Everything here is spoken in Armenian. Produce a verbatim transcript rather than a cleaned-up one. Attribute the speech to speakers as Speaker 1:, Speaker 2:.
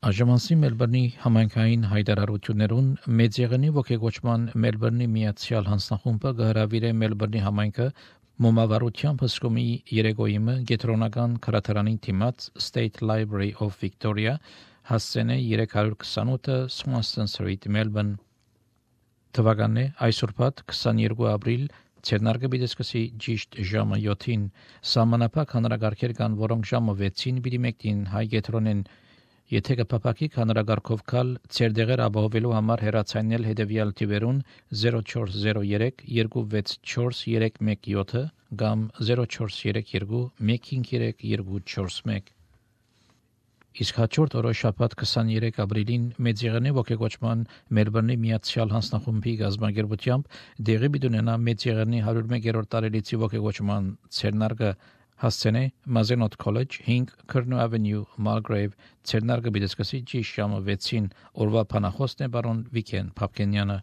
Speaker 1: Աժմանսի Մելբուրնի համայնքային հայտարարություններուն մեծ եղանի ողեգոճման Մելբուրնի միացյալ հանձնախումբը գհրավիրե Մելբուրնի համայնքը մոմավառությամբ հսկումի երեգոյիմը գետրոնական քրատարանին թիմած State Library of Victoria հասցենե երեք հարյուր քսանութը Swanston Street Melbourne թվականն է այսօրբաթ քսաներկու ապրիլ Ցերնարգը բիդեսկսի ճիշտ ժամը յոթին սահմանափակ հանրագարքեր կան որոնք ժամը վեցին պիտի մեկտին հայ գետրոնեն Եթե կփապակիկ հանրագարքով կալ ծեր դեղեր ապահովելու համար հեռացանել հետևյալ թիվերուն zero four zero three two six four three one seven կամ zero four three two one five three two four one Իսկ հաջորդ օրը շաբաթ քսաներեք ապրիլին մեծ եղանի ողեգոճման Մելբուրնի միացյալ հանձնախումբի գազագերբությամբ դեղի բիդունենա մեծ եղանի one oh one-րդ տարելիցի ողեգոճման ցերնարգը հասցենե Mazenot College five Curnow Avenue Mulgrave ցերնարգը բիդեսկսի ճիշտ ժամը վեցին օրվա փանախոսն է բարոն Վիքեն Փապկենյանը